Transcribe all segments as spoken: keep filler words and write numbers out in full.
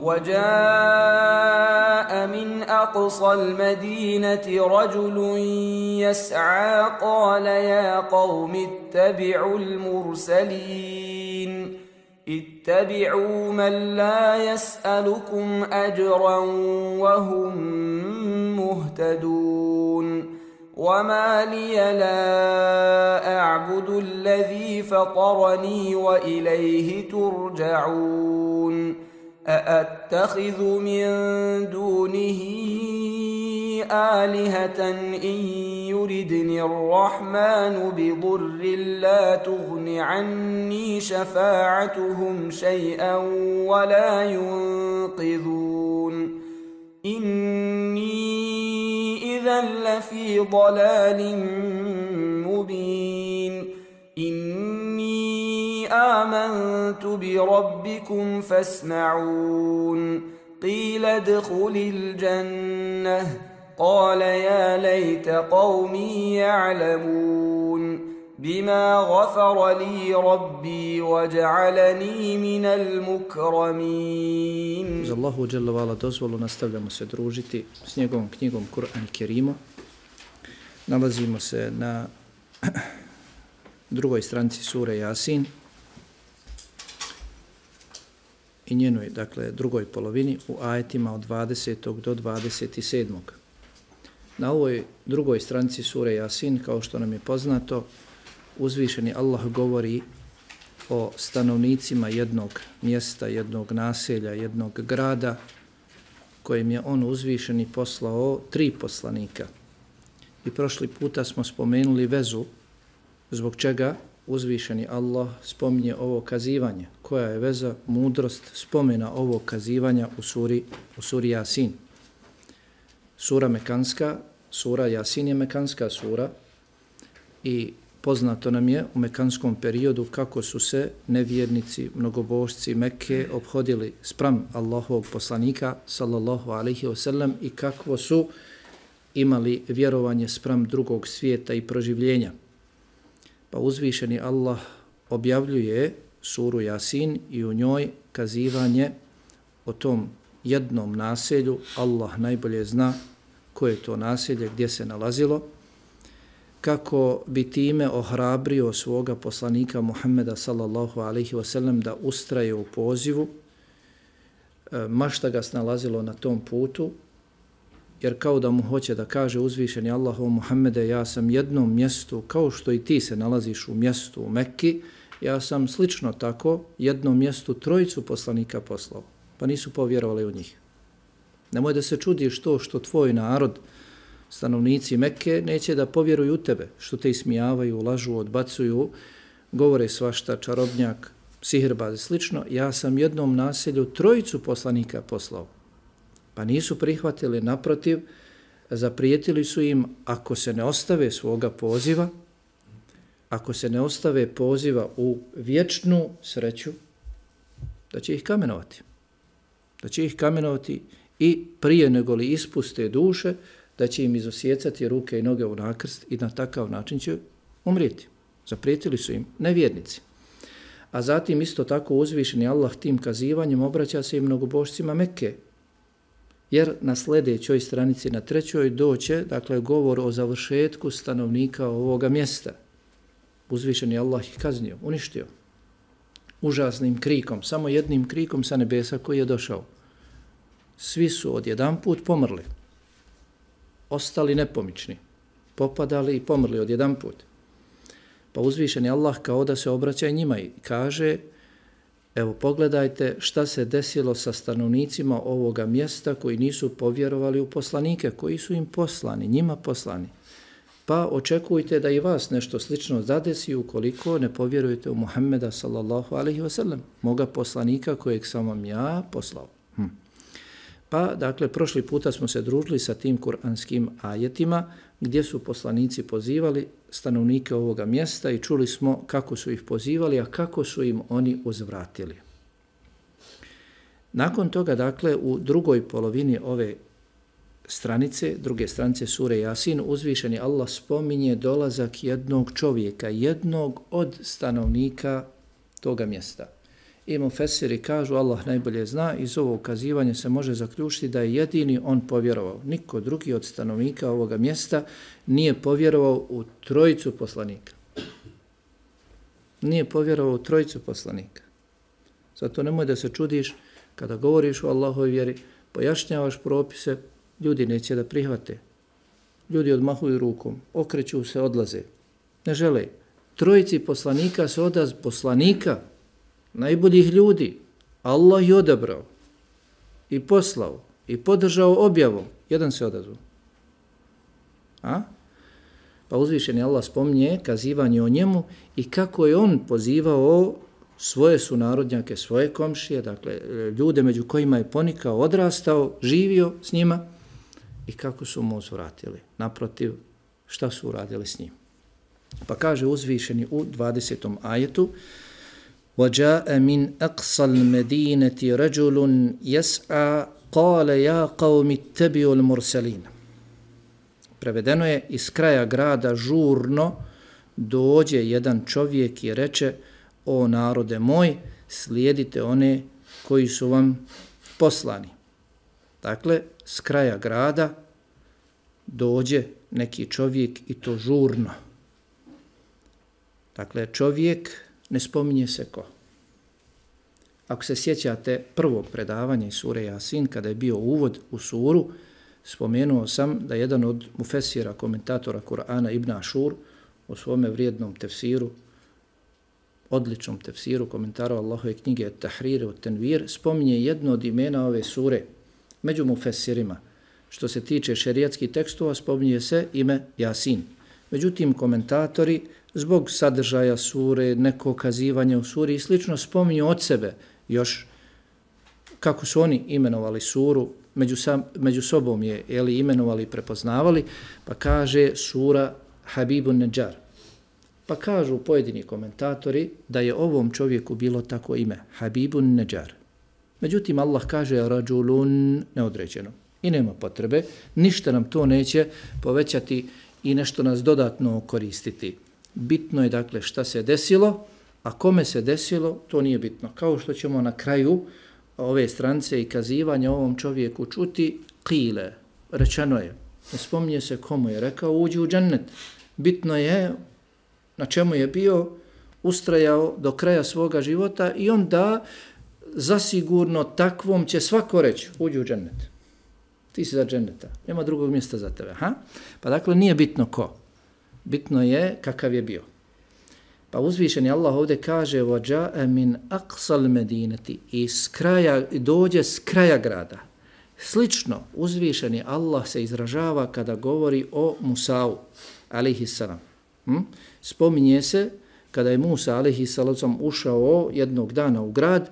وجاء من أقصى المدينة رجل يسعى قال يا قوم اتبعوا المرسلين اتبعوا من لا يسألكم أجرا وهم مهتدون وما لي لا أعبد الذي فطرني وإليه ترجعون أأتخذ من دونه آلهة إن يردني الرحمن بضر لا تغن عني شفاعتهم شيئا ولا ينقذون إني إذا لفي ضلال مبين إني آمنت بربكم فاسمعون قيل ادخل الجنة قال يا ليت قومي يعلمون بما غفر لي ربي وجعلني من المكرمين. Uz Allahu dželle vala dozvolu nastavljamo se družiti s njegovom knjigom Kur'an i Kerimu. Nalazimo se na drugoj stranici sure Jasin i njenoj, dakle, drugoj polovini u ajetima od dvadesetog do dvadeset sedmog. Na ovoj drugoj stranici sure Jasin, kao što nam je poznato, uzvišeni Allah govori o stanovnicima jednog mjesta, jednog naselja, jednog grada, kojim je on uzvišeni poslao tri poslanika. I prošli puta smo spomenuli vezu zbog čega uzvišeni Allah spominje ovo kazivanje. Koja je veza, mudrost spomena ovog kazivanja u suri, u suri Jasin. Sura mekanska, sura Jasin je mekanska sura i poznato nam je u mekanskom periodu kako su se nevjernici, mnogobožci Mekke obhodili spram Allahovog poslanika sallallahu alaihi wasallam i kako su imali vjerovanje spram drugog svijeta i proživljenja. Pa uzvišeni Allah objavljuje suru Jasin i u njoj kazivanje o tom jednom naselju. Allah najbolje zna koje je to naselje, gdje se nalazilo, kako bi time ohrabrio svoga poslanika Muhammeda sallallahu alaihi wasallam da ustraje u pozivu, ma šta ga snalazilo na tom putu, jer kao da mu hoće da kaže uzvišeni Allah o Muhammede, ja sam jednom mjestu, kao što i ti se nalaziš u mjestu u Mekki, ja sam slično tako jednom mjestu trojicu poslanika poslao, pa nisu povjerovali u njih. Nemoj da se čudiš to što tvoj narod, stanovnici Mekke, neće da povjeruju u tebe, što te ismijavaju, lažu, odbacuju, govore svašta, čarobnjak, sihirbaz i slično. Ja sam jednom naselju trojicu poslanika poslao. Pa nisu prihvatili, naprotiv, zaprijetili su im ako se ne ostave svoga poziva, ako se ne ostave poziva u vječnu sreću, da će ih kamenovati. Da će ih kamenovati i prije nego li ispuste duše, da će im izosjecati ruke i noge u nakrst i na takav način će umrijeti. Zaprijetili su im nevjernici. A zatim isto tako uzvišeni Allah tim kazivanjem obraća se i mnogobožcima Mekke. Jer na sljedećoj stranici, na trećoj, doće, dakle, govor o završetku stanovnika ovoga mjesta. Uzvišeni Allah ih kaznio, uništio. Užasnim krikom, samo jednim krikom sa nebesa koji je došao. Svi su odjedanput pomrli. Ostali nepomični. Popadali i pomrli odjedanput. Pa uzvišeni Allah kao da se obraća njima i kaže, evo pogledajte šta se desilo sa stanovnicima ovoga mjesta koji nisu povjerovali u poslanike, koji su im poslani, njima poslani. Pa očekujte da i vas nešto slično zadesi ukoliko ne povjerujete u Muhammeda sallallahu alaihi wasallam, moga poslanika kojeg sam vam ja poslao. Hm. Pa, dakle, prošli puta smo se družili sa tim kuranskim ajetima gdje su poslanici pozivali stanovnike ovoga mjesta i čuli smo kako su ih pozivali, a kako su im oni uzvratili. Nakon toga, dakle, u drugoj polovini ove stranice, druge stranice sure Jasin, uzvišeni Allah spominje dolazak jednog čovjeka, jednog od stanovnika toga mjesta. I mufesiri kažu, Allah najbolje zna, iz ovog ukazivanja se može zaključiti da je jedini on povjerovao. Niko drugi od stanovnika ovoga mjesta nije povjerovao u trojicu poslanika. Nije povjerovao u trojicu poslanika. Zato nemoj da se čudiš kada govoriš o Allahovoj vjeri, pojašnjavaš propise, ljudi neće da prihvate. Ljudi odmahuju rukom, okreću se, odlaze. Ne žele. Trojici poslanika se odaz poslanika, najboljih ljudi, Allah je odabrao i poslao i podržao objavom. Jedan se odazvao. A? Pa uzvišeni Allah spominje kazivanje o njemu i kako je on pozivao svoje sunarodnjake, svoje komšije, dakle ljude među kojima je ponikao, odrastao, živio s njima i kako su mu uzvratili. Naprotiv, šta su uradili s njim? Pa kaže uzvišeni u dvadesetom ajetu وَجَاءَ مِنْ أَقْصَ الْمَدِينَةِ رَجُلٌ يَسْعَى قَالَ يَا قَوْمِ اتَّبِعُوا الْمُرْسَلِينَ. Prevedeno je, iz kraja grada žurno dođe jedan čovjek i reče, o narode moj, slijedite one koji su vam poslani. Dakle, s kraja grada dođe neki čovjek i to žurno. Dakle, čovjek, ne spominje se ko. Ako se sjećate prvog predavanja iz sure Jasin, kada je bio uvod u suru, spomenuo sam da jedan od mufesira, komentatora Kur'ana Ibn Ašur, u svome vrijednom tefsiru, odličnom tefsiru, komentaru Allahove knjige Tahrir od Tenvir, spominje jedno od imena ove sure među mufesirima. Što se tiče šerijatskih tekstova, spominje se ime Jasin. Međutim, komentatori zbog sadržaja sure, nekog kazivanja u suri i slično spominju od sebe još kako su oni imenovali suru, među, sam, među sobom je jeli, imenovali i prepoznavali, pa kaže sura Habibun Neđar. Pa kažu pojedini komentatori da je ovom čovjeku bilo tako ime, Habibun Neđar. Međutim, Allah kaže rađulun neodređeno i nema potrebe, ništa nam to neće povećati i nešto nas dodatno koristiti. Bitno je dakle šta se desilo, a kome se desilo, to nije bitno. Kao što ćemo na kraju ove strance i kazivanja ovom čovjeku čuti, qile, rečeno je, ne spominje se komu je rekao, uđi u džennet. Bitno je na čemu je bio, ustrajao do kraja svoga života i onda zasigurno takvom će svako reći, uđi u džennet. Ti si za dženneta, nema drugog mjesta za tebe. Ha? Pa dakle nije bitno ko. Bitno je kakav je bio. Pa uzvišeni Allah ovdje kaže وَجَاءَ مِنْ أَقْصَ الْمَدِينَةِ i s kraja, dođe s kraja grada. Slično uzvišeni Allah se izražava kada govori o Musa'u alejhissalam. Hm? Spominje se kada je Musa alejhissalam ušao jednog dana u grad,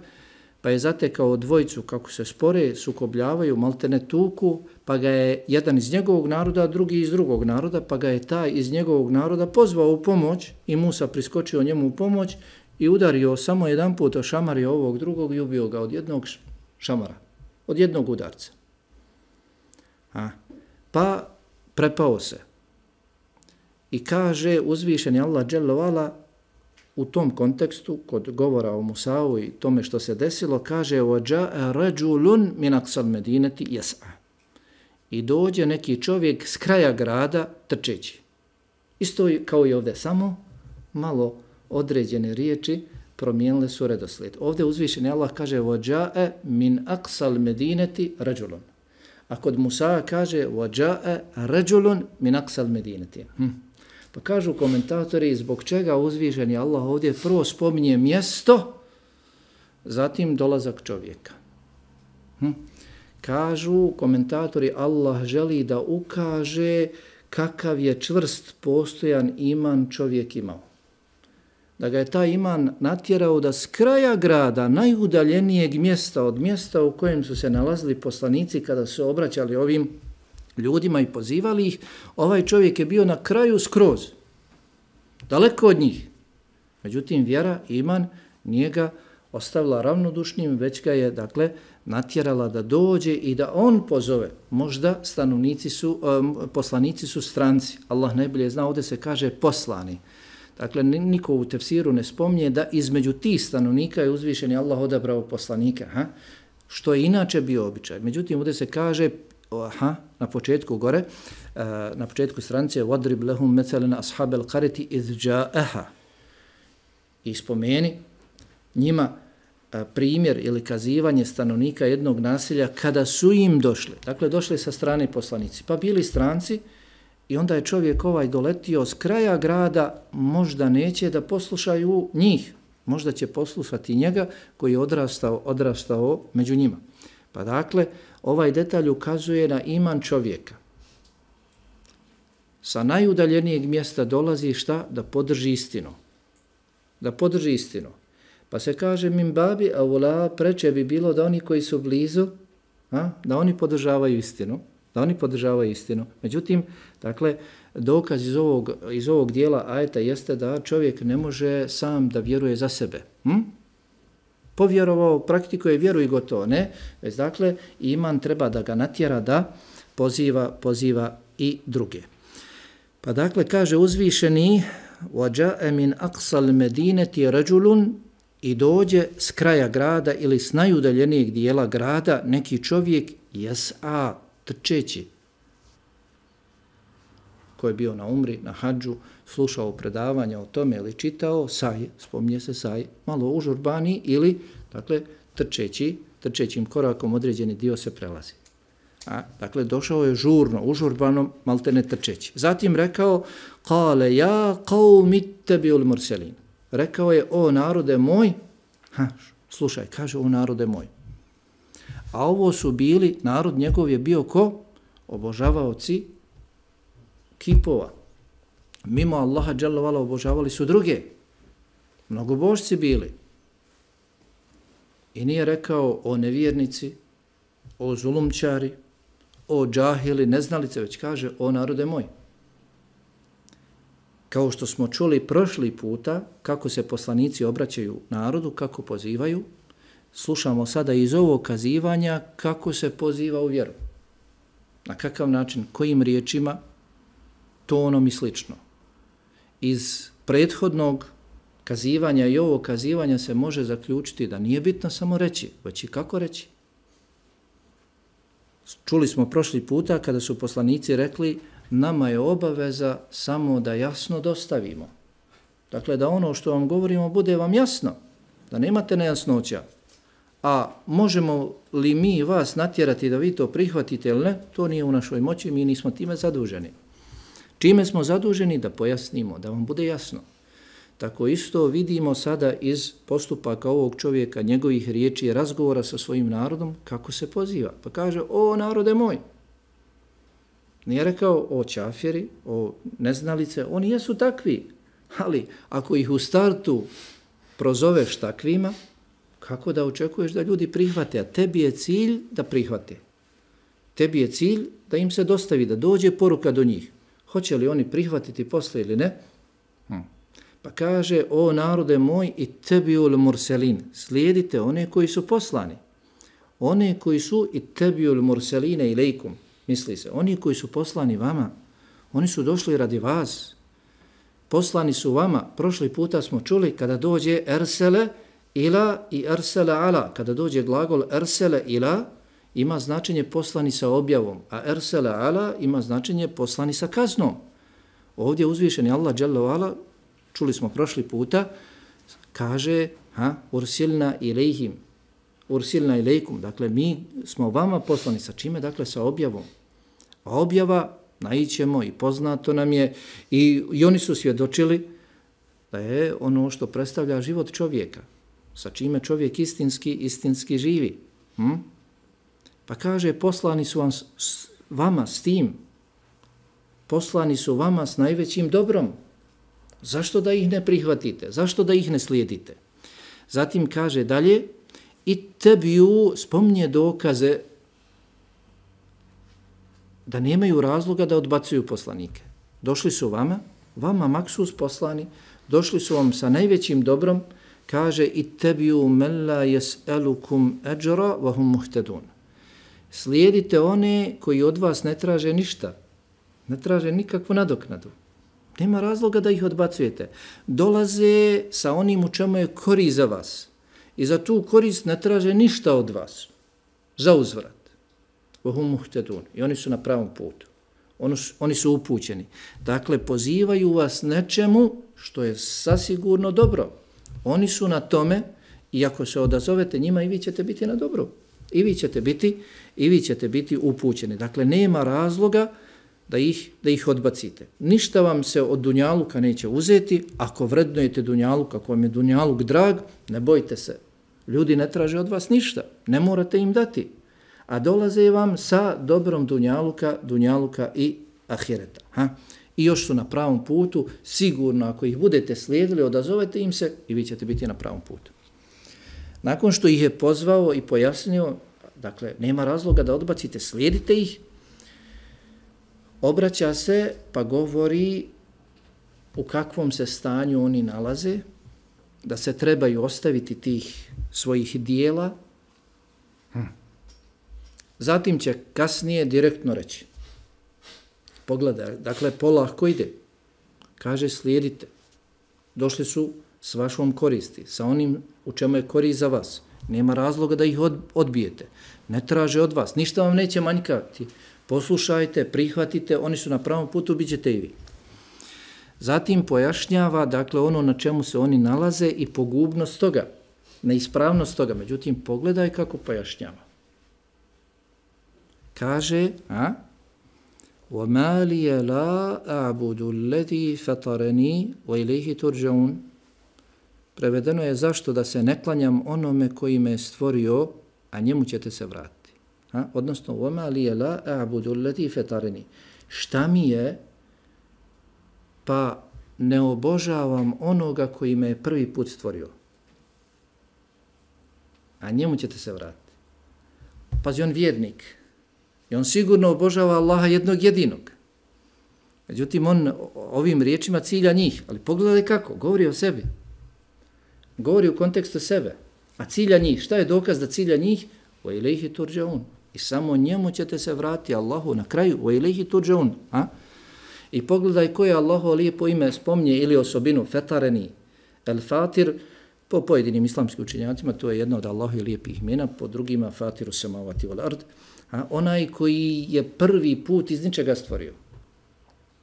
pa je zatekao dvojicu kako se spore, sukobljavaju, maltene tuku, pa ga je jedan iz njegovog naroda, drugi iz drugog naroda, pa ga je taj iz njegovog naroda pozvao u pomoć i Musa priskočio njemu u pomoć i udario samo jedan put o šamari ovog drugog i ubio ga od jednog šamara, od jednog udarca. A, pa prepao se i kaže uzvišeni Allah dželle vala u tom kontekstu, kod govora o Musa'u i tome što se desilo, kaže وَجَاءَ رَجُلٌ مِنْ أَقْصَ الْمَدِينَةِ يَسْعَى i dođe neki čovjek s kraja grada trčeći. Isto kao i ovdje, samo malo određene riječi promijenile su redoslijed. Ovdje uzvišeni Allah kaže وَجَاءَ مِنْ أَقْصَ الْمَدِينَةِ رَجُلٌ. A kod Musa kaže وَجَاءَ رَجُلٌ مِنْ أَقْصَ الْمَدِينَةِ. Hm. Pa kažu komentatori zbog čega uzvišeni Allah ovdje prvo spominje mjesto, zatim dolazak čovjeka. Hm? Kažu komentatori Allah želi da ukaže kakav je čvrst postojan iman čovjek imao. Da ga je taj iman natjerao da s kraja grada, najudaljenijeg mjesta od mjesta u kojem su se nalazili poslanici kada su obraćali ovim ljudima i pozivali ih, ovaj čovjek je bio na kraju skroz, daleko od njih. Međutim, vjera, iman, nije ga ostavila ravnodušnim, već ga je, dakle, natjerala da dođe i da on pozove. Možda stanovnici su, um, poslanici su stranci. Allah najbolje zna, ovdje se kaže poslani. Dakle, niko u tefsiru ne spominje da između tih stanovnika je uzvišeni Allah odabrao poslanika, ha? Što je inače bio običaj. Međutim, ovdje se kaže, aha, na početku gore, na početku stranice, وَضْرِبْ لَهُمْ مَثَلًا أَصْحَابَ الْقَرِةِ إِذْ جَاءَهَا. I spomeni njima primjer ili kazivanje stanovnika jednog naselja kada su im došli. Dakle, došli sa strane poslanici. Pa bili stranci i onda je čovjek ovaj doletio s kraja grada, možda neće da poslušaju njih. Možda će poslušati njega koji je odrastao, odrastao među njima. Pa dakle, ovaj detalj ukazuje na iman čovjeka. Sa najudaljenijeg mjesta dolazi šta? Da podrži istinu. Da podrži istinu. Pa se kaže min babi aula, preče bi bilo da oni koji su blizu, a, da oni podržavaju istinu. Da oni podržavaju istinu. Međutim, dakle, dokaz iz ovog, iz ovog dijela ajeta jeste da čovjek ne može sam da vjeruje za sebe. Hm? Povjerovao, praktikuje vjeru i gotovo, ne. Već dakle, iman treba da ga natjera da poziva, poziva i druge. Pa dakle, kaže uzvišeni وَجَاءَ مِنْ أَقْصَ الْمَدِينَةِ رَجُلٌ i dođe s kraja grada ili s najudaljenijeg dijela grada neki čovjek jes'a, trčeći, ko je bio na umri, na hadžu, slušao predavanja o tome ili čitao, saj, spominje se saj, malo užurbani ili, dakle, trčeći, trčećim korakom određeni dio se prelazi. A, dakle, došao je žurno, užurbano, malte ne trčeći. Zatim rekao, kale ja qaumi ittabi'ul murselin. Rekao je, o narode moj, ha, slušaj, kaže, o narode moj. A ovo su bili, narod njegov je bio ko? Obožavaoci kipova. Mimo Allaha dželle vala obožavali su druge. Mnogobožci bili. I nije rekao o nevjernici, o zulumčari, o džahili, neznalice, već kaže o narode moj. Kao što smo čuli prošli puta, kako se poslanici obraćaju narodu, kako pozivaju, slušamo sada iz ovog kazivanja kako se poziva u vjeru. Na kakav način, kojim riječima, tonom i slično. Iz prethodnog kazivanja i ovog kazivanja se može zaključiti da nije bitno samo reći, već i kako reći. Čuli smo prošli puta kada su poslanici rekli nama je obaveza samo da jasno dostavimo. Dakle, da ono što vam govorimo bude vam jasno, da nemate nejasnoća. A možemo li mi vas natjerati da vi to prihvatite ili ne, to nije u našoj moći, mi nismo time zaduženi. Čime smo zaduženi? Da pojasnimo, da vam bude jasno. Tako isto vidimo sada iz postupaka ovog čovjeka, njegovih riječi i razgovora sa svojim narodom, kako se poziva. Pa kaže, o narode moj. Nije rekao o čafjeri, o neznalice, oni jesu takvi. Ali ako ih u startu prozoveš takvima, kako da očekuješ da ljudi prihvate? A tebi je cilj da prihvate. Tebi je cilj da im se dostavi, da dođe poruka do njih. Hoće li oni prihvatiti posle ili ne? Hm. Pa kaže, o narode moj i tebiul murselin, slijedite one koji su poslani. One koji su i tebiul murseline ilejkum, misli se, oni koji su poslani vama, oni su došli radi vas. Poslani su vama, prošli puta smo čuli kada dođe ersele ila i ersele ala, kada dođe glagol ersele ila, ima značenje poslani sa objavom, a ersele ala ima značenje poslani sa kaznom. Ovdje uzvišeni Allah dželle vala, čuli smo prošli puta, kaže, ha, ursilna ilejhim, ursilna ilejkum, dakle mi smo vama poslani sa čime? Dakle sa objavom. A objava, naićemo i poznato nam je, i, i oni su svjedočili da je ono što predstavlja život čovjeka, sa čime čovjek istinski, istinski živi. Hm? Pa kaže, poslani su vam, s, vama s tim, poslani su vama s najvećim dobrom. Zašto da ih ne prihvatite? Zašto da ih ne slijedite? Zatim kaže dalje, i tebiju spominje dokaze da nemaju razloga da odbacuju poslanike. Došli su vama, vama maksus poslani, došli su vam sa najvećim dobrom, kaže i tebiju men la yes'alukum ajra wa hum muhtadun. Slijedite one koji od vas ne traže ništa, ne traže nikakvu nadoknadu. Nema razloga da ih odbacujete. Dolaze sa onim u čemu je korist za vas. I za tu korist ne traže ništa od vas. Za uzvrat. Vahum muhtedun. I oni su na pravom putu. Oni su, oni su upućeni. Dakle, pozivaju vas nečemu što je sasigurno dobro. Oni su na tome i ako se odazovete njima i vi ćete biti na dobru. I vi ćete biti, i vi ćete biti upućeni. Dakle, nema razloga da ih, da ih odbacite. Ništa vam se od dunjaluka neće uzeti. Ako vrednujete dunjaluk, ako vam je dunjaluk drag, ne bojte se. Ljudi ne traže od vas ništa. Ne morate im dati. A dolaze vam sa dobrom dunjaluka, dunjaluka i ahireta. Ha? I još su na pravom putu. Sigurno, ako ih budete slijedili, odazovete im se i vi ćete biti na pravom putu. Nakon što ih je pozvao i pojasnio, dakle, nema razloga da odbacite, slijedite ih, obraća se pa govori u kakvom se stanju oni nalaze, da se trebaju ostaviti tih svojih dijela. Hm. Zatim će kasnije direktno reći. Pogledaj, dakle, polako ide. Kaže, slijedite. Došli su s vašom koristi, sa onim u čemu je korist za vas. Nema razloga da ih odbijete. Ne traže od vas. Ništa vam neće manjkati. Poslušajte, prihvatite, oni su na pravom putu, bit ćete i vi. Zatim pojašnjava, dakle, ono na čemu se oni nalaze i pogubnost toga, neispravnost toga. Međutim, pogledaj kako pojašnjava. Kaže, a? وَمَا لِيَ لَا أَعْبُدُ الَّذِي فَطَرَنِي وَإِلَيْهِ تُرْجَعُونَ. Prevedeno je zašto da se ne klanjam onome koji me je stvorio, a njemu ćete se vratiti. Ha? Odnosno, وَمَا لِيَ لَا أَعْبُدُ الَّذِي فَطَرَنِي. Šta mi je, pa ne obožavam onoga koji me je prvi put stvorio, a njemu ćete se vratiti. Pazi, on vjernik. I on sigurno obožava Allaha jednog jedinog. Međutim, on ovim riječima cilja njih. Ali pogledaj kako, govori o sebi. Govori u kontekstu sebe. A cilja njih, šta je dokaz da cilja njih? وَإِلَيْهِ تُرْجَعُونَ. I samo njemu ćete se vratiti, Allahu, na kraju. وَإِلَيْهِ تُرْجَعُونَ. A? I pogledaj koje Allahovo lijepo ime spominje ili osobinu fetareni. El Fatir, po pojedinim islamskim učenjacima, to je jedno od Allahovi lijepih imena, po drugima Fatiru samavati wal ard. A? Onaj koji je prvi put iz ničega stvorio.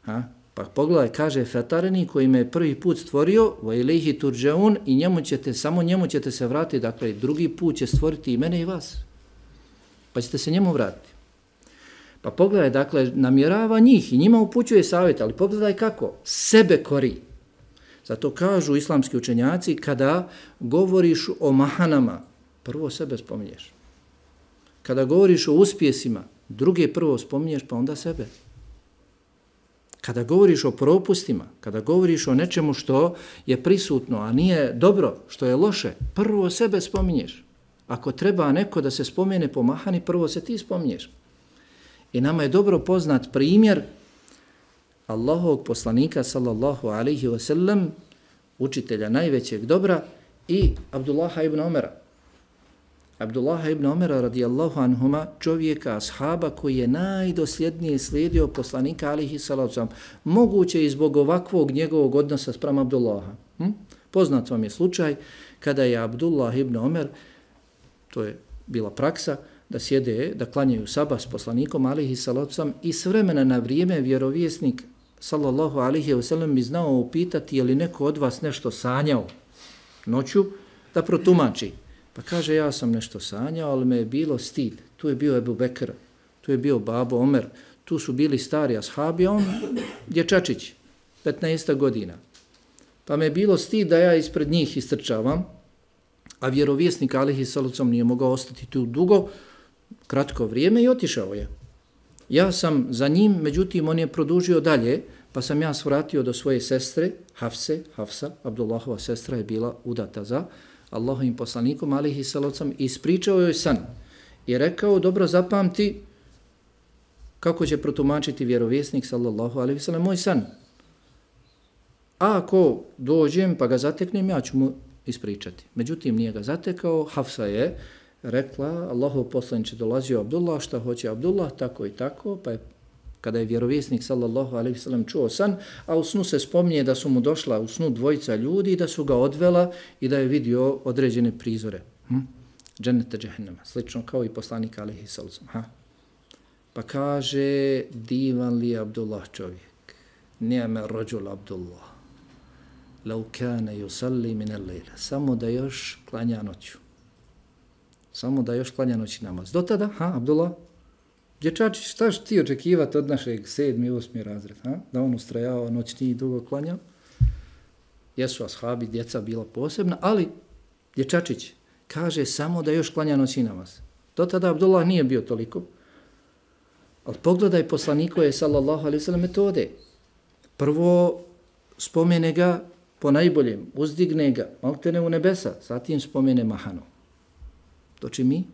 A? Pa pogledaj, kaže fetareni koji me je prvi put stvorio, وَإِلَيْهِ تُرْجَعُونَ, i njemu ćete, samo njemu ćete se vratiti, dakle drugi put će stvoriti i mene i vas. Pa ćete se njemu vratiti. Pa pogledaj, dakle, namjerava njih i njima upućuje savjet, ali pogledaj kako, sebe kori. Zato kažu islamski učenjaci, kada govoriš o mahanama, prvo sebe spominješ. Kada govoriš o uspjesima, druge prvo spominješ, pa onda sebe. Kada govoriš o propustima, kada govoriš o nečemu što je prisutno, a nije dobro, što je loše, prvo sebe spominješ. Ako treba neko da se spomene po mahani, prvo se ti spominješ. I nama je dobro poznat primjer Allahovog poslanika, sallallahu alaihi wa sallam, učitelja najvećeg dobra, i Abdullaha ibn Omera. Abdullaha ibn Omera radijallahu anhuma, čovjeka, ashaba koji je najdosljednije slijedio poslanika alaihi salatu sallam. Moguće i zbog ovakvog njegovog odnosa sprem Abdullaha. Hm? Poznat vam je slučaj kada je Abdullah ibn Omer, to je bila praksa, da sjede, da klanjaju sabah s poslanikom alaihi salatu sallam, i s vremena na vrijeme vjerovjesnik sallallahu alaihi wa sallam bi znao upitati je li neko od vas nešto sanjao noću, da protumači. Pa kaže, ja sam nešto sanjao, ali me je bilo stid. Tu je bio Ebu Bekr, tu je bio babo Omer, tu su bili stari ashabi, on dječačić, petnaest godina. Pa me je bilo stid da ja ispred njih istrčavam, a vjerovjesnik alejhi salatu vesselam nije mogao ostati tu dugo, kratko vrijeme, i otišao je. Ja sam za njim, međutim on je produžio dalje, pa sam ja svratio do svoje sestre, Hafse, Hafsa, Abdullahova sestra je bila udata za Allahovim poslanikom alejhi salatu vesselam, i ispričao joj san i rekao, dobro zapamti kako će protumačiti vjerovjesnik sallallahu alejhi ve sellem moj san. A ako dođem pa ga zateknem, ja ću mu ispričati. Međutim, nije ga zatekao. Hafsa je rekla, Allahov poslanik dolazio Abdullah, šta hoće Abdullah, tako i tako, pa je kada je vjerovjesnik sallallahu alejhi ve sellem čuo san, a u snu se spominje da su mu došla u snu dvojica ljudi i da su ga odvela i da je vidio određene prizore. Hm? Dženneta džehennema, slično kao i poslanik alejhi selam. Ha? Pa kaže, divan li Abdullah čovjek, ni'me rođul Abdullah, lau kane yusalli min al-lejla, samo da još klanja noću. Samo da još klanja noći namaz. Do tada, ha, Abdullah, dječačić, šta što ti očekivati od našeg sedmi, osmi razred, ha? Da on ustrajava noćni i dugo klanja? Jesu ashabi, djeca bila posebna, ali dječačić kaže samo da još klanja noći namaz. Do tada Abdullah nije bio toliko. Ali pogledaj poslanikove sallallahu alejhi ve sellem metode. Prvo spomene ga po najboljem, uzdigne ga, maltene u nebesa, zatim spomene mahanu. Doći mi,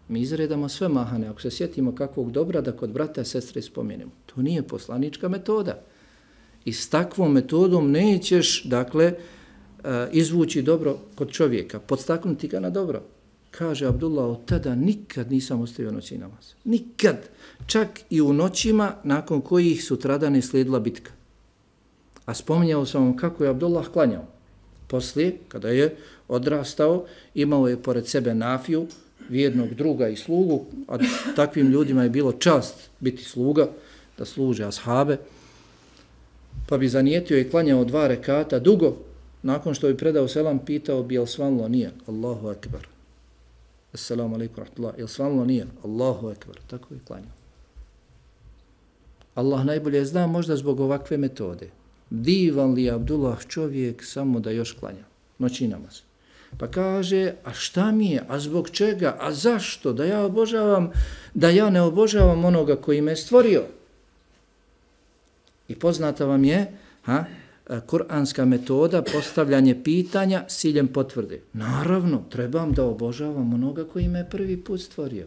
mi izredamo sve mahane. Ako se sjetimo kakvog dobra da kod brata i sestre spomenemo. To nije poslanička metoda. I s takvom metodom nećeš, dakle, izvući dobro kod čovjeka, podstaknuti ga na dobro. Kaže Abdullah, od tada nikad nisam ostavio noći namaz. Nikad. Čak i u noćima nakon kojih sutradan je slijedila bitka. A spominjao sam vam kako je Abdullah klanjao. Poslije, kada je odrastao, imao je pored sebe Nafiju, vjernog druga i slugu, a takvim ljudima je bilo čast biti sluga, da služe ashabe, pa bi zanijetio i klanjao dva rekata dugo, nakon što bi predao selam, pitao bi jel svanlo nije, Allahu ekber. Assalamu alaikum rahmatullah, jel svanlo nije, Allahu ekber, tako je klanjao. Allah najbolje zna možda zbog ovakve metode. Divan li Abdullah čovjek samo da još klanja, noći namaz. Pa kaže, a šta mi je, a zbog čega, a zašto, da ja obožavam, da ja ne obožavam onoga koji me stvorio. I poznata vam je, ha, kuranska metoda, postavljanje pitanja s ciljem potvrde. Naravno, trebam da obožavam onoga koji me prvi put stvorio.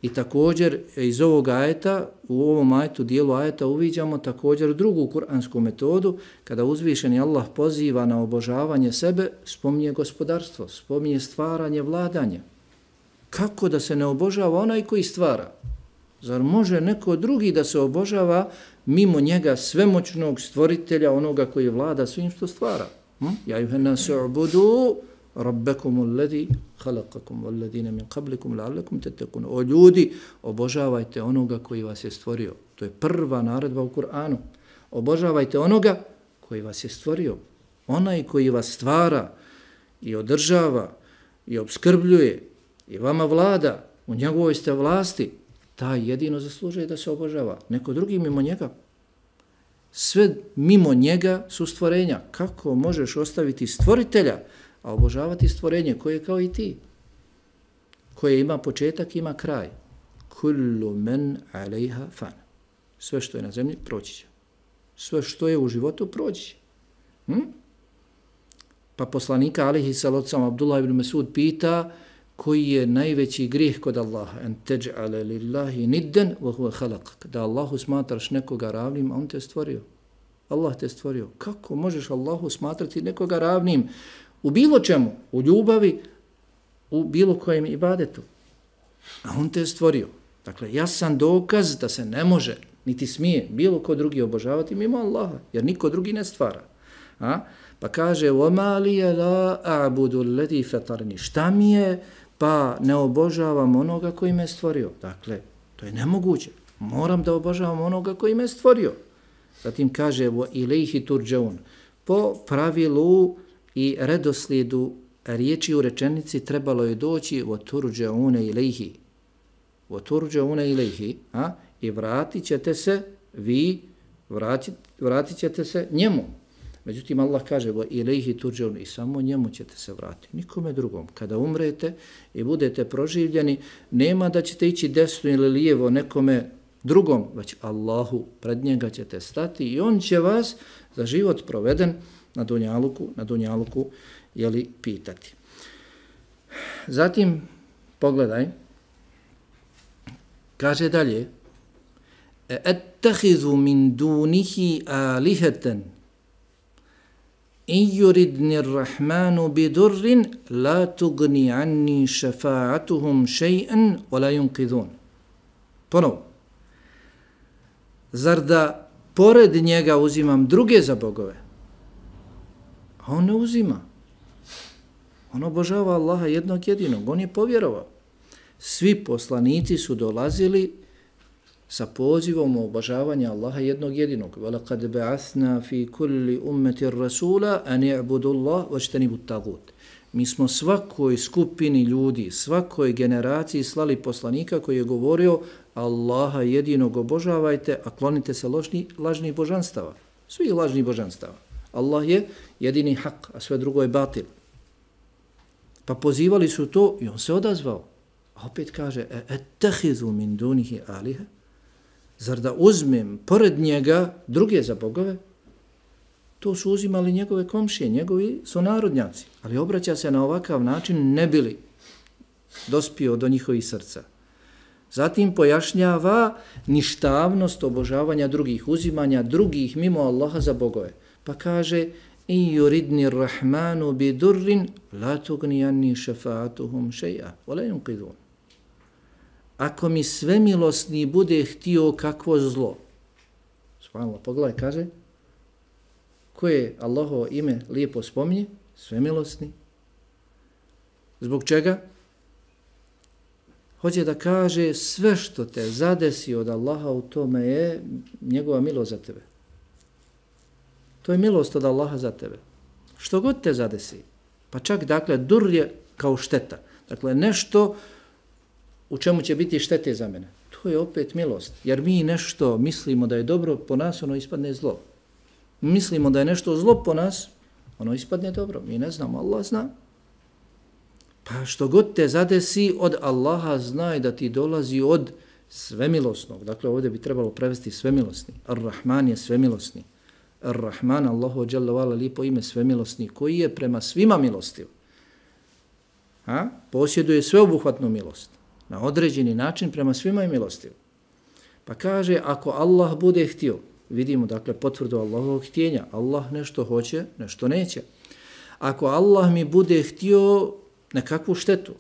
I također iz ovog ajeta, u ovom ajetu, dijelu ajeta uviđamo također drugu kuransku metodu, kada uzvišeni Allah poziva na obožavanje sebe, spominje gospodarstvo, spominje stvaranje, vladanje. Kako da se ne obožava onaj koji stvara? Zar može neko drugi da se obožava mimo njega svemoćnog stvoritelja, onoga koji vlada svim što stvara? Hm? Ja juhena su'budu rabbakum alladhi khalaqakum walladhina min qablikum la'allakum tattaqun. O ljudi, obožavajte onoga koji vas je stvorio. To je prva naredba u Kur'anu. Obožavajte onoga koji vas je stvorio. Onaj koji vas stvara i održava i obskrbljuje i vama vlada, u njegovoj ste vlasti, taj jedino zaslužuje da se obožava. Neko drugi mimo njega. Sve mimo njega su stvorenja. Kako možeš ostaviti stvoritelja, a obožavati stvorenje koje je kao i ti, koje ima početak, ima kraj. Kullu men alejha fan. Sve što je na zemlji proći će. Sve što je u životu proći će. Hm? Pa poslanika alejhi salatu Abdullah ibn Mesud pita koji je najveći grijeh kod Allaha. En teđ'ale lillahi nidden wa huwa khalaq. Da Allahu smatraš nekoga ravnim, a on te stvorio. Allah te stvorio. Kako možeš Allahu smatrati nekoga ravnim? U bilo čemu, u ljubavi, u bilo kojem ibadetu. A on te je stvorio. Dakle, jasan dokaz da se ne može, niti smije, bilo ko drugi obožavati mimo Allaha, jer niko drugi ne stvara. A? Pa kaže, وَمَا لِيَ لَا أَعْبُدُ الَّذِي فَتَرْنِي. Šta mi je, pa ne obožavam onoga koji me stvorio. Dakle, to je nemoguće. Moram da obožavam onoga koji me stvorio. Zatim kaže, وَإِلَيْهِ تُرْجَوْنَ. Po pravilu i redoslijedu riječi u rečenici trebalo je doći وَتُرْجَوْنَ إِلَيْهِ. وَتُرْجَوْنَ إِلَيْهِ. A? I vratit ćete se, vi vratit, vratit ćete se njemu. Međutim, Allah kaže وَإِلَيْهِ تُرْجَوْنَ. I samo njemu ćete se vratiti, nikome drugom. Kada umrete i budete proživljeni, nema da ćete ići desno ili lijevo nekome drugom, već Allahu, pred njega ćete stati i on će vas za život proveden na dunjaluku, na dunjaluku, jeli, pitati. Zatim, pogledaj, kaže dalje, اَتَّخِذُ مِنْ دُونِهِ آلِهَةً إِنْ يُرِدْنِ الرَّحْمَانُ بِدُرٍ لَا تُغْنِ عَنِّي شَفَاعَتُهُمْ شَيْئًا وَلَا يُنْقِذُونَ. Ponovo. Zar da pored njega uzimam druge za bogove? A on ne uzima. On obožava Allaha jednog jedinog. On je povjerovao. Svi poslanici su dolazili sa pozivom obožavanja Allaha jednog jedinog. وَلَقَدْ بَعَثْنَا فِي كُلِّ أُمَّةِ الرَّسُولَ أَنْ يَعْبُدُ اللَّهُ وَاجْتَنِبُوا الطَّاغُوتَ. Mi smo svakoj skupini ljudi, svakoj generaciji slali poslanika koji je govorio Allaha jedinog obožavajte, a klonite se ložni, lažnih božanstava. Svih lažnih božanstava. Allah je jedini hak, a sve drugo je batil. Pa pozivali su to i on se odazvao. A opet kaže, ettehizu min dunihi alihe, zar da uzmem pored njega druge za bogove? To su uzimali njegove komšije, njegovi sunarodnjaci. Ali obraća se na ovakav način ne bili dospio do njihovih srca. Zatim pojašnjava ništavnost obožavanja drugih, uzimanja drugih mimo Allaha za bogove. Pa kaže, in yuridni rahmanu bi durrin la tugni anni šefaatuhum šeja, wala yunqidun. Ako mi svemilosni bude htio kakvo zlo, subhanallah, pogledaj, kaže, koje Allahovo ime lijepo spominje, svemilosni. Zbog čega? Hoće da kaže sve što te zadesi od Allaha u tome je njegova milost za tebe. To je milost od Allaha za tebe. Što god te zadesi. Pa čak, dakle, dur je kao šteta. Dakle, nešto u čemu će biti štete za mene. To je opet milost. Jer mi nešto mislimo da je dobro, po nas ono ispadne zlo. Mislimo da je nešto zlo po nas, ono ispadne dobro. Mi ne znamo, Allah zna. Pa što god te zadesi od Allaha, znaj da ti dolazi od svemilosnog. Dakle, ovdje bi trebalo prevesti svemilosni. Ar-Rahman je svemilosni. Ar-Rahman, Allahu dželle vala, lijepo ime, svemilosni, koji je prema svima milostiv. Ha? Posjeduje sveobuhvatnu milost. Na određeni način prema svima je milostiv. Pa kaže, ako Allah bude htio, vidimo, dakle, potvrdu Allahovog htjenja. Allah nešto hoće, nešto neće. Ako Allah mi bude htio nekakvu štetu,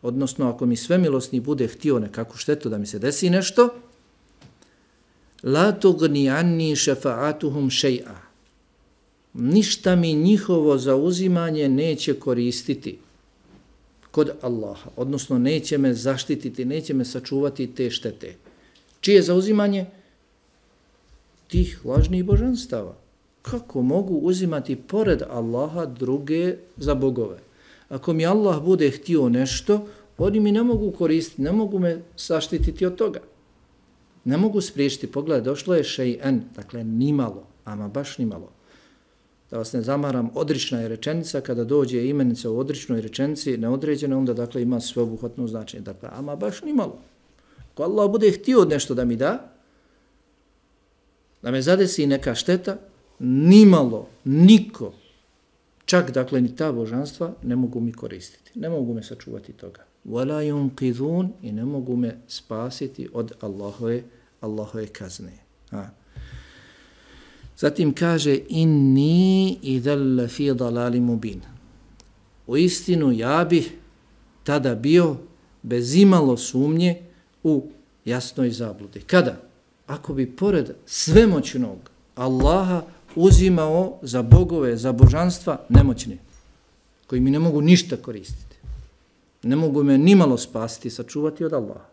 odnosno ako mi svemilosni bude htio nekakvu štetu da mi se desi nešto, la tugni anni šefaatuhum šeja. Ništa mi njihovo zauzimanje neće koristiti kod Allaha, odnosno neće me zaštititi, neće me sačuvati te štete. Čije zauzimanje? Tih lažnih božanstava. Kako mogu uzimati pored Allaha druge za bogove? Ako mi Allah bude htio nešto, oni mi ne mogu koristiti, ne mogu me zaštititi od toga. Ne mogu spriječiti. Pogledaj, došlo je še'en, dakle nimalo, ama baš nimalo. Da vas ne zamaram, odrična je rečenica, kada dođe imenica u odričnoj rečenici, neodređena, onda dakle ima sveobuhvatno značenje. Dakle, ama baš nimalo. Ako Allah bude htio nešto da mi da, da me zadesi neka šteta, nimalo, niko, čak dakle ni ta božanstva ne mogu mi koristiti, ne mogu me sačuvati toga. Wala yunqidun, i ne mogu me spasiti od Allahove, Allahove kazne. Ha. Zatim kaže, inni idhal fi dalalim mubin. U istinu ja bih tada bio bez imalo sumnje u jasnoj zabludi. Kada? Ako bi pored svemoćnog Allaha uzimao za bogove, za božanstva nemoćne, koji mi ne mogu ništa koristiti. Ne mogu me nimalo spasiti, sačuvati od Allaha.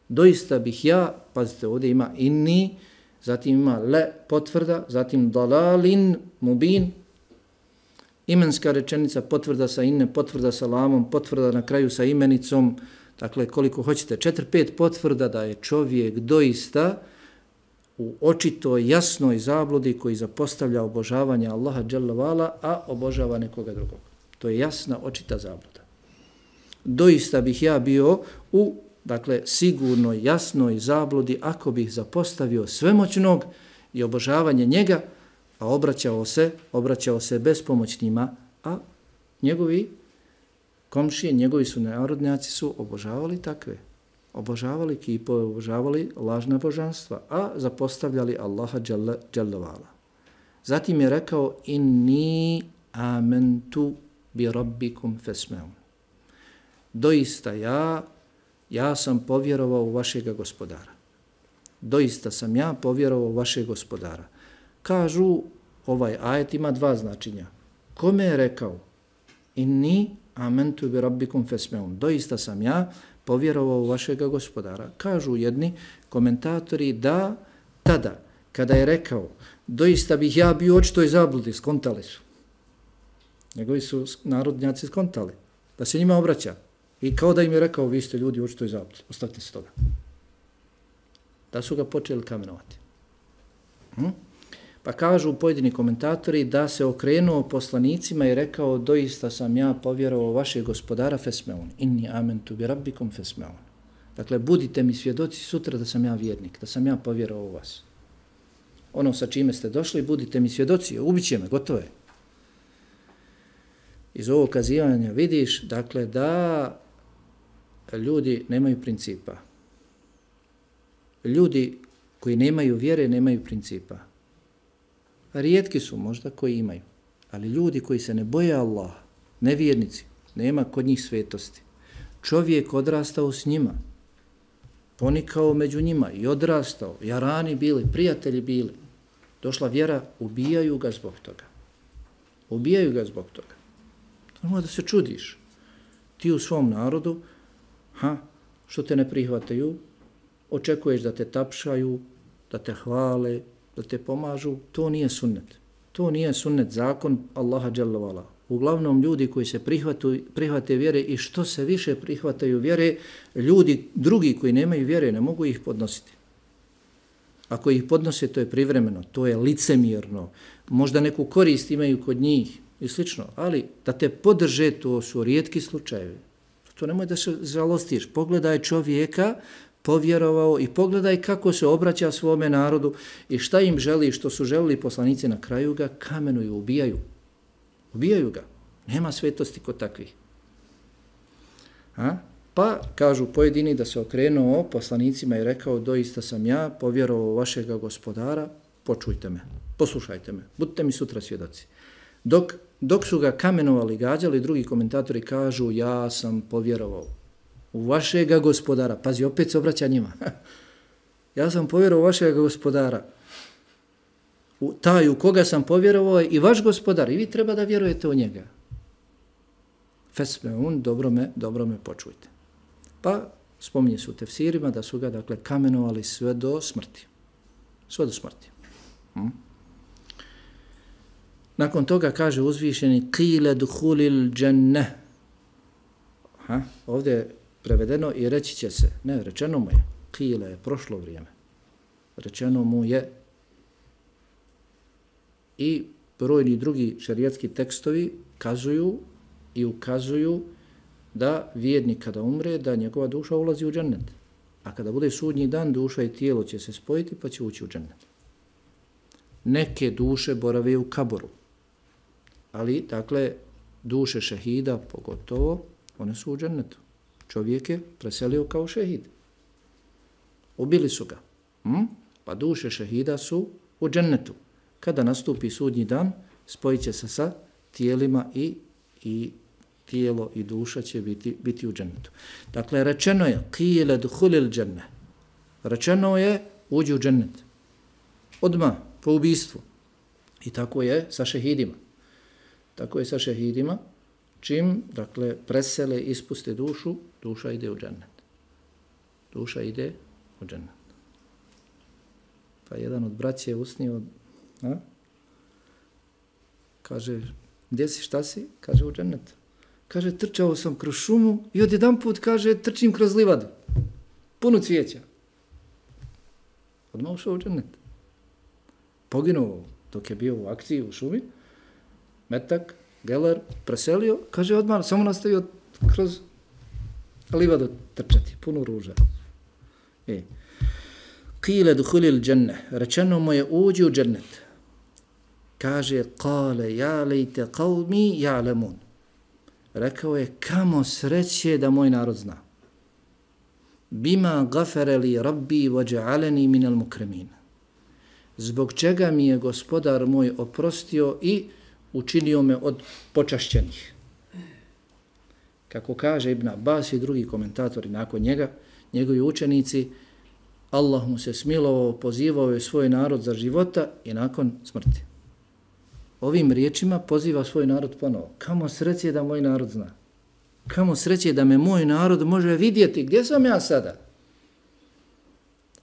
Doista bih ja, pazite, ovdje ima inni, zatim ima le potvrda, zatim dalalin mubin, imenska rečenica, potvrda sa inne, potvrda sa lamom, potvrda na kraju sa imenicom, dakle koliko hoćete, četiri, pet potvrda da je čovjek doista u očito jasnoj zabludi koji zapostavlja obožavanje Allaha dželle vala, a obožava nekoga drugog. To je jasna, očita zabluda. Doista bih ja bio u, dakle, sigurno jasnoj zabludi ako bih zapostavio svemoćnog i obožavanje njega, a obraćao se, obraćao se bespomoćnima, a njegovi komšije, njegovi su narodnjaci su obožavali takve. Obožavali kipove, obožavali lažna božanstva, a zapostavljali Allaha dželle, dželle vala. Zatim je rekao, inni amentu bi rabbikum fesmeun. Doista ja, ja sam povjerovao u vašega gospodara. doista sam ja povjerovao vašeg gospodara. Kažu, ovaj ajet ima dva značenja. Kome je rekao? Inni amentu bi rabbikum fesmeun. Doista sam ja povjerovao vašega gospodara. Kažu jedni komentatori da tada, kada je rekao, doista bih ja bio očitoj zabludi, skontali su. Njegovi su narodnjaci skontali. Da se njima obraća. I kao da im je rekao, vi ste ljudi očitoj zabludi. Ostavite se toga. Da su ga počeli kamenovati. Hm? Pa kažu pojedini komentatori da se okrenuo poslanicima i rekao, doista sam ja povjerovao vašeg gospodara fesmeun. Inni amentu bi rabbikum fesmeun. Dakle, budite mi svjedoci sutra da sam ja vjernik, da sam ja povjerovao u vas. Ono sa čime ste došli, budite mi svjedoci, ubiće me, gotovo je. Iz ovog kazivanja vidiš, dakle, da ljudi nemaju principa. Ljudi koji nemaju vjere, nemaju principa. Rijetki su možda koji imaju, ali ljudi koji se ne boje Allaha, nevjernici, nema kod njih svetosti. Čovjek odrastao s njima, ponikao među njima i odrastao, jarani bili, prijatelji bili. Došla vjera, ubijaju ga zbog toga. Ubijaju ga zbog toga. To može da se čudiš. Ti u svom narodu, ha, što te ne prihvataju, očekuješ da te tapšaju, da te hvale, da te pomažu, to nije sunnet. To nije sunnet, zakon Allaha dželle ve ala. Uglavnom ljudi koji se prihvatu, prihvate vjere i što se više prihvataju vjere, ljudi drugi koji nemaju vjere ne mogu ih podnositi. Ako ih podnose, to je privremeno, to je licemjerno, možda neku korist imaju kod njih i slično, ali da te podrže, to su rijetki slučajevi. To nemoj da se žalostiš. Pogledaj čovjeka, povjerovao i pogledaj kako se obraća svome narodu i šta im želi, što su želili poslanici, na kraju ga kamenuju, ubijaju. Ubijaju ga. Nema svetosti kod takvih. A? Pa, kažu pojedini da se okrenuo poslanicima i rekao, doista sam ja povjerovao vašega gospodara, počujte me, poslušajte me, budite mi sutra svjedoci. Dok, dok su ga kamenovali, gađali, drugi komentatori kažu, ja sam povjerovao u vašega gospodara. Pazi, opet se obraća njima. Ja sam povjerovao u vašega gospodara. U taj u koga sam povjerovao i vaš gospodar. I vi treba da vjerujete u njega. Fesmeun, dobro me, dobro me počujte. Pa spominje se u tefsirima da su ga, dakle, kamenovali sve do smrti. Sve do smrti. Hm? Nakon toga kaže uzvišeni qile duhulil dženneh. Ha? Ovdje je prevedeno i reći će se. Ne, rečeno mu je. Qile je prošlo vrijeme. Rečeno mu je. I brojni drugi šerijatski tekstovi kazuju i ukazuju da vjernik kada umre, da njegova duša ulazi u džennet. A kada bude sudnji dan, duša i tijelo će se spojiti pa će ući u džennet. Neke duše borave u kaboru. Ali, dakle, duše šehida, pogotovo, one su u džennetu. Čovjek je preselio kao šehid. Ubili su ga. Hm? Pa duše šehida su u džennetu. Kada nastupi sudnji dan, spojit će se sa tijelima i, i tijelo i duša će biti, biti u džennetu. Dakle, rečeno je qile duhulil dženne. Rečeno je uđi u džennet. Odmah, po ubistvu. I tako je sa šehidima. Tako je sa šehidima. Čim, dakle, presele, ispuste dušu, duša ide u džennet. Duša ide u džennet. Pa jedan od braća je usnio, a? Kaže, gdje si, šta si? Kaže, u džennetu. Kaže, trčao sam kroz šumu i odjedan put, kaže, trčim kroz livadu. Puno cvijeća. Odmah ušao u džennet. Poginuo dok je bio u akciji u šumi. Metak, geler, preselio. Kaže, odmah samo nastavio kroz livadu trčati. Puno ruža. E. Qile duhulil dženne. Rečeno mu je uđi u džennet. Kaže, kale, ja lejte qavmi ja'lemun. Rekao je, kamo sreće da moj narod zna. Bima gafere li rabbi vođa'aleni minal mukremin. Zbog čega mi je gospodar moj oprostio i učinio me od počašćenih. Kako kaže Ibn Abbas i drugi komentatori nakon njega, njegovi učenici, Allah mu se smilovao, pozivao je svoj narod za života i nakon smrti. Ovim riječima poziva svoj narod ponovo. Kamo sreće da moj narod zna. Kamo sreće da me moj narod može vidjeti. Gdje sam ja sada?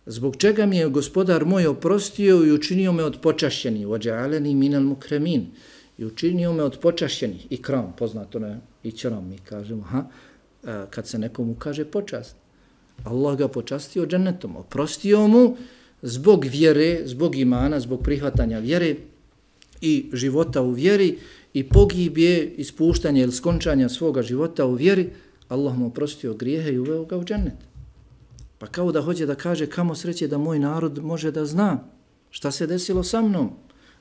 Zbog čega mi je gospodar moj oprostio i učinio me od počašćenih. Ođa'aleni minal mukremin. I učinio me od počašćenih. Ikram, poznato ne, ikram mi kažemo. Ha? Kad se nekomu kaže počast. Allah ga počastio džennetom. Oprostio mu zbog vjere, zbog imana, zbog prihvatanja vjere i života u vjeri i pogibje, ispuštanja ili skončanja svoga života u vjeri. Allah mu oprostio grijehe i uveo ga u džennet. Pa kao da hoće da kaže kamo sreće da moj narod može da zna šta se desilo sa mnom,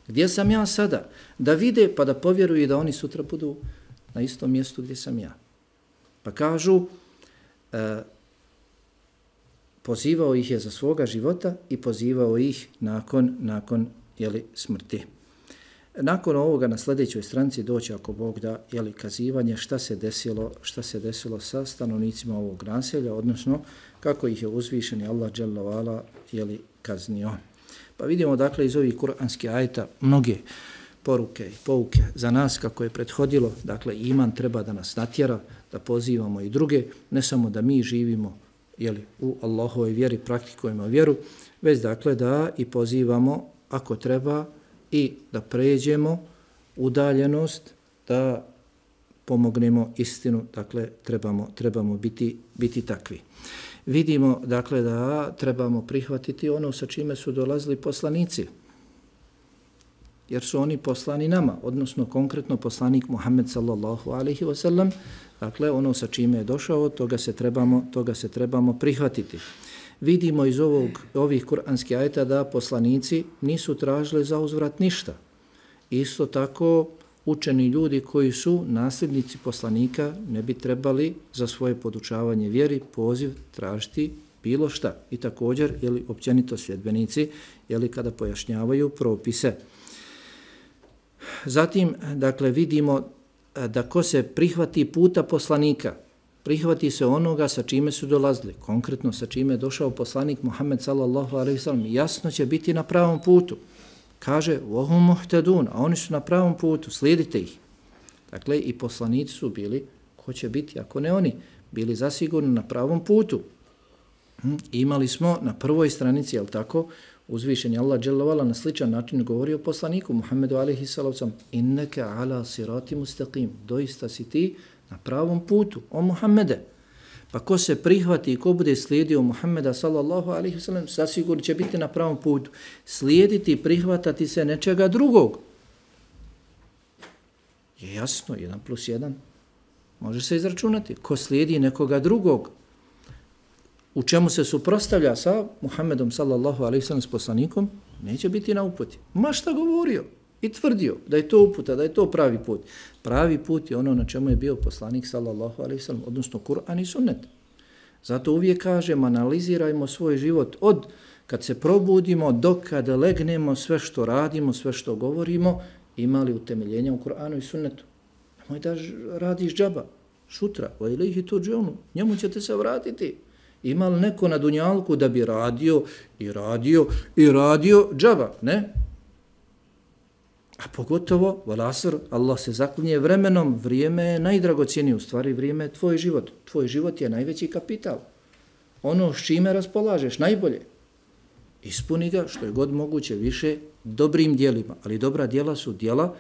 gdje sam ja sada, da vide pa da povjeruju da oni sutra budu na istom mjestu gdje sam ja. Pa kažu, e, pozivao ih je za svoga života i pozivao ih nakon, nakon jeli, smrti. Nakon ovoga na sljedećoj stranici doći ako Bog da jeli, kazivanje šta se desilo, šta se desilo sa stanovnicima ovog naselja, odnosno kako ih je uzvišeni Allah dželle ve ala jeli kaznio. Pa vidimo dakle iz ovih kuranskih ajeta mnoge poruke i pouke za nas kako je prethodilo, dakle iman treba da nas natjera, da pozivamo i druge, ne samo da mi živimo jeli, u Allahovoj vjeri, praktikujemo vjeru, već dakle da i pozivamo ako treba i da pređemo udaljenost, da pomognemo istinu, dakle trebamo, trebamo biti, biti takvi. Vidimo dakle da trebamo prihvatiti ono sa čime su dolazili poslanici, jer su oni poslani nama, odnosno konkretno poslanik Muhammed sallallahu alejhi ve sellem, dakle ono sa čime je došao, toga se trebamo, toga se trebamo prihvatiti. Vidimo iz ovog, ovih kuranskih ajeta da poslanici nisu tražili za uzvrat ništa. Isto tako učeni ljudi koji su nasljednici poslanika ne bi trebali za svoje podučavanje vjeri, poziv tražiti bilo šta. I također, jeli, općenito sljedbenici, jeli, kada pojašnjavaju propise. Zatim, dakle, vidimo da ko se prihvati puta poslanika, prihvati se onoga sa čime su dolazili, konkretno sa čime je došao poslanik Muhammed sallallahu alejhi ve sellem, jasno će biti na pravom putu. Kaže, وَهُمْ مُحْتَدُونَ, a oni su na pravom putu, slijedite ih. Dakle, i poslanici su bili, ko će biti, ako ne oni, bili zasigurno na pravom putu. Hm, imali smo na prvoj stranici, jel tako, uzvišeni Allah dželle ve ala na sličan način govorio poslaniku Muhammedu alejhi salatu innaka ala sirati mustaqim, doista si ti na pravom putu, o Muhammede. Pa ko se prihvati i ko bude slijedio Muhammeda sallallahu alejhi ve sellem, zasigurno će biti na pravom putu. Slijediti i prihvatati se nečega drugog je jasno, jedan plus jedan. Može se izračunati. Ko slijedi nekoga drugog, u čemu se suprotstavlja sa Muhammedom sallallahu alejhi ve sellem s poslanikom, neće biti na uputi. Ma šta govorio i tvrdio da je to uputa, da je to pravi put. Pravi put je ono na čemu je bio poslanik sallallahu alejhi ve sellem, odnosno Kur'an i sunnet. Zato uvijek kažem, analizirajmo svoj život od kad se probudimo do kada legnemo, sve što radimo, sve što govorimo, imali utemeljenja u Kur'anu i sunnetu. Nemoj da radiš džaba, šutra, o ilaihi turđunu, njemu ćete se vratiti. Ima li neko na dunjalku da bi radio i radio i radio džaba? Ne. A pogotovo, valasr, Allah se zaklinje vremenom, vrijeme je najdragocijenije, u stvari vrijeme je tvoj život. Tvoj život je najveći kapital. Ono s čime raspolažeš, najbolje. Ispuni ga što je god moguće više dobrim dijelima, ali dobra dijela su dijela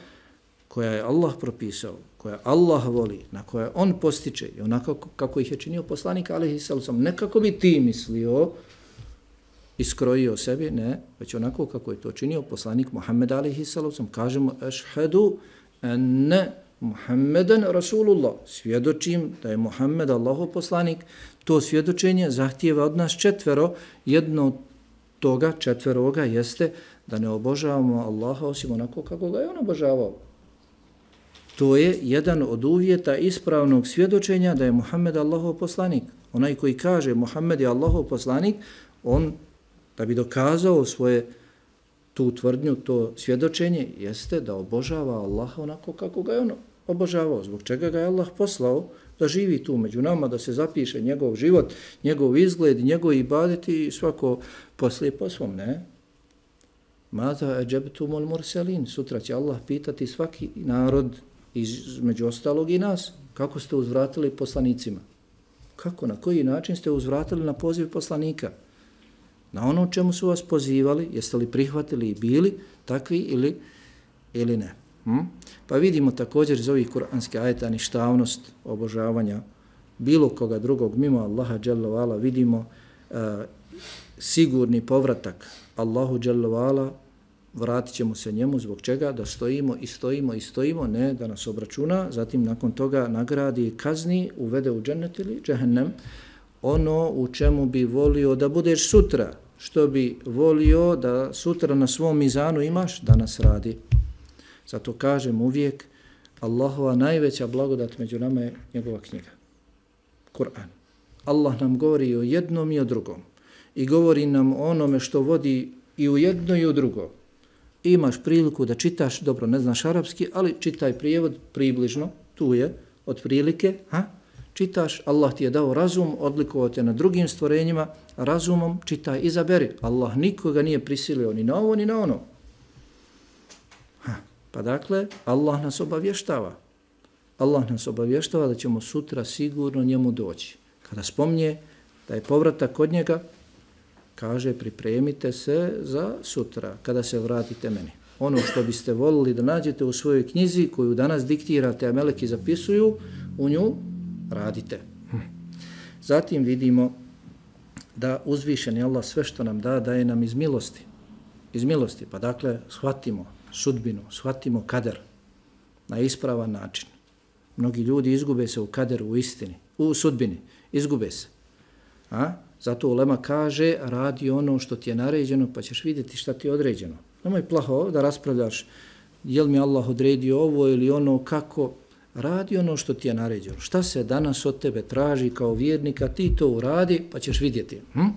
koja je Allah propisao, koja Allah voli, na koje on postiče i onako kako ih je činio poslanik alejhi salatu, ne kako bi ti mislio, iskrojio sebi, ne, već onako kako je to činio poslanik Muhammed alejhi salatu, kažemo ešhedu enne Muhammeden Rasulullah, svjedočim da je Muhammed Allahov poslanik. To svjedočenje zahtijeva od nas četvero, jedno od toga četveroga jeste da ne obožavamo Allaha osim onako kako ga je on obožavao. To je jedan od uvjeta ispravnog svjedočenja da je Muhammed Allahov poslanik. Onaj koji kaže Muhammed je Allahov poslanik, on da bi dokazao svoje tu tvrdnju, to svjedočenje, jeste da obožava Allaha onako kako ga je on obožavao, zbog čega ga je Allah poslao da živi tu među nama, da se zapiše njegov život, njegov izgled, njegov ibadeti i svako poslije po svom, ne? Mada eđebtumul murselin, sutra će Allah pitati svaki narod, između ostalog i nas, kako ste uzvratili poslanicima. Kako, na koji način ste uzvratili na poziv poslanika? Na ono čemu su vas pozivali, jeste li prihvatili i bili takvi ili, ili ne? Hm? Pa vidimo također iz ovih kuranskih ajeta ništavnost obožavanja bilo koga drugog mimo Allaha dželle ve ala, vidimo uh, sigurni povratak Allahu dželle ve ala, vratit ćemo se njemu, zbog čega? Da stojimo i stojimo i stojimo, ne da nas obračuna, zatim nakon toga nagradi i kazni, uvede u džennet ili džehennem, ono u čemu bi volio da budeš sutra, što bi volio da sutra na svom mizanu imaš, danas radi. Zato kažem uvijek, Allahova najveća blagodat među nama je njegova knjiga, Kur'an. Allah nam govori o jednom i o drugom i govori nam o onome što vodi i u jedno i u drugo. Imaš priliku da čitaš, dobro ne znaš arapski, ali čitaj prijevod približno, tu je, otprilike, ha? Čitaš, Allah ti je dao razum, odlikovao te na drugim stvorenjima, razumom čitaj, izaberi. Allah nikoga nije prisilio ni na ovo ni na ono. Ha. Pa dakle, Allah nas obavještava. Allah nas obavještava da ćemo sutra sigurno njemu doći. Kada spomnje da je povratak kod njega, kaže pripremite se za sutra, kada se vratite meni. Ono što biste volili da nađete u svojoj knjizi koju danas diktirate, a meleki zapisuju, u nju radite. Zatim vidimo da uzvišeni Allah sve što nam da, daje nam iz milosti. Iz milosti, pa dakle shvatimo sudbinu, shvatimo kader na ispravan način. Mnogi ljudi izgube se u kaderu, u istini, u sudbini, izgube se. A? Zato ulema kaže, radi ono što ti je naređeno, pa ćeš vidjeti šta ti je određeno. Nemoj plaho da raspravljaš, je li mi Allah odredio ovo ili ono, kako. Radi ono što ti je naređeno. Šta se danas od tebe traži kao vjernika, ti to uradi, pa ćeš vidjeti. Hm?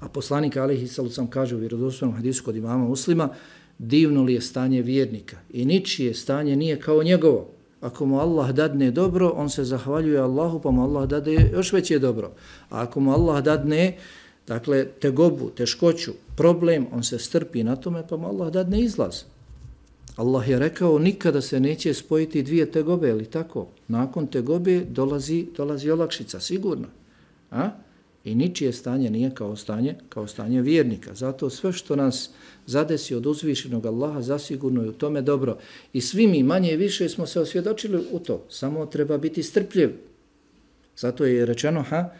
A poslanik alejhi salatu vesselam kaže u vjerodostojnom hadisu kod imama Muslima, divno li je stanje vjernika i ničije stanje nije kao njegovo. Ako mu Allah dadne dobro, on se zahvaljuje Allahu, pa mu Allah dade još veće dobro. A ako mu Allah dadne, dakle, tegobu, teškoću, problem, on se strpi na tome, pa mu Allah dadne izlaz. Allah je rekao, nikada se neće spojiti dvije tegobe, ili tako? Nakon tegobe dolazi, dolazi olakšica, sigurno. A? I ničije stanje nije kao stanje, kao stanje vjernika. Zato sve što nas zadesi od uzvišenog Allaha, zasigurno je u tome dobro. I svi mi manje i više smo se osvjedočili u to. Samo treba biti strpljiv. Zato je rečeno, ha,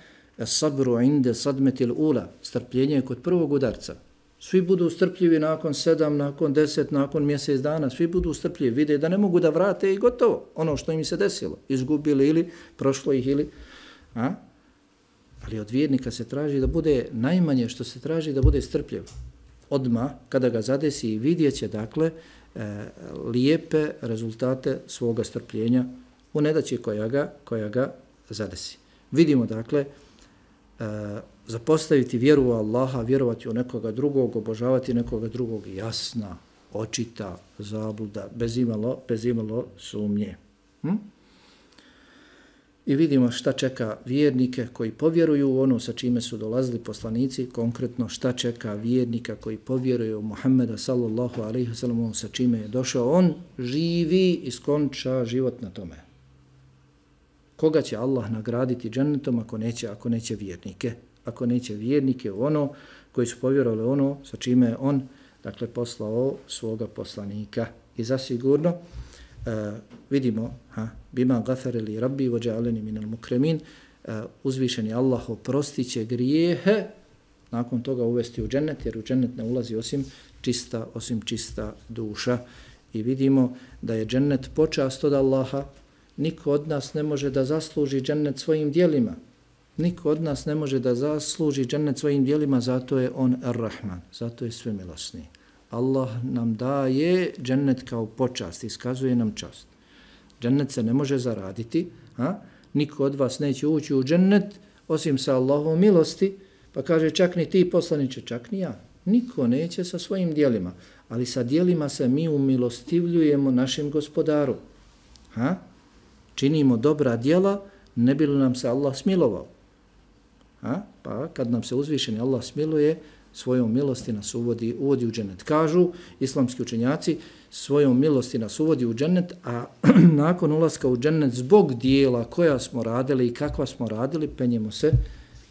sabru inde sadmetil ula, strpljenje kod prvog udarca. Svi budu strpljivi nakon sedam, nakon deset, nakon mjesec dana, svi budu strpljivi, vide da ne mogu da vrate i gotovo ono što im se desilo. Izgubili ili prošlo ih ili... A? Ali od vjernika se traži da bude, najmanje što se traži da bude strpljiv. Odmah, kada ga zadesi i vidjet će, dakle, e, lijepe rezultate svoga strpljenja u nedaći koja ga, koja ga zadesi. Vidimo, dakle, e, zapostaviti vjeru u Allaha, vjerovati u nekoga drugog, obožavati nekoga drugog, jasna, očita, zabluda, bez imalo, bez imalo sumnje. Hm? I vidimo šta čeka vjernike koji povjeruju u ono sa čime su dolazili poslanici, konkretno šta čeka vjernika koji povjeruju u Muhammeda sallallahu alejhi ve sellem sa čime je došao. On živi i skonča život na tome. Koga će Allah nagraditi džennetom ako neće, ako neće vjernike? Ako neće vjernike u ono koji su povjerovali ono sa čime je on, dakle, poslao svoga poslanika. I zasigurno Uh, vidimo, ha, bima gafere li rabbi vođa'aleni minal mukremin, uh, uzvišeni Allah oprostit će grijehe, nakon toga uvesti u džennet, jer u džennet ne ulazi osim čista, osim čista duša. I vidimo da je džennet počast od Allaha, niko od nas ne može da zasluži džennet svojim dijelima. Niko od nas ne može da zasluži džennet svojim dijelima, zato je on Ar-Rahman, zato je svemilosni. Allah nam daje džennet kao počast, iskazuje nam čast. Džennet se ne može zaraditi, a? Niko od vas neće ući u džennet osim sa Allahovom milosti, pa kaže čak ni ti poslaniče, čak ni ja. Niko neće sa svojim dijelima, ali sa dijelima se mi umilostivljujemo našem gospodaru. A? činimo dobra djela, ne bi li nam se Allah smilovao. A? Pa kad nam se uzvišeni Allah smiluje, svojom milosti nas uvodi, uvodi u džennet. Kažu islamski učenjaci, svojom milosti nas uvodi u džennet, a nakon ulaska u džennet zbog dijela koja smo radili i kakva smo radili, penjemo se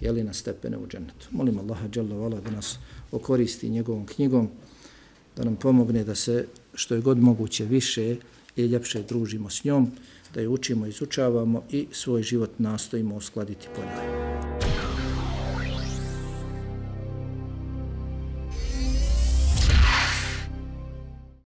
jeli, na stepene u džennetu. Molim Allaha dželle vala da nas okoristi njegovom knjigom, da nam pomogne da se što je god moguće više i ljepše družimo s njom, da je učimo, izučavamo i svoj život nastojimo uskladiti po njoj.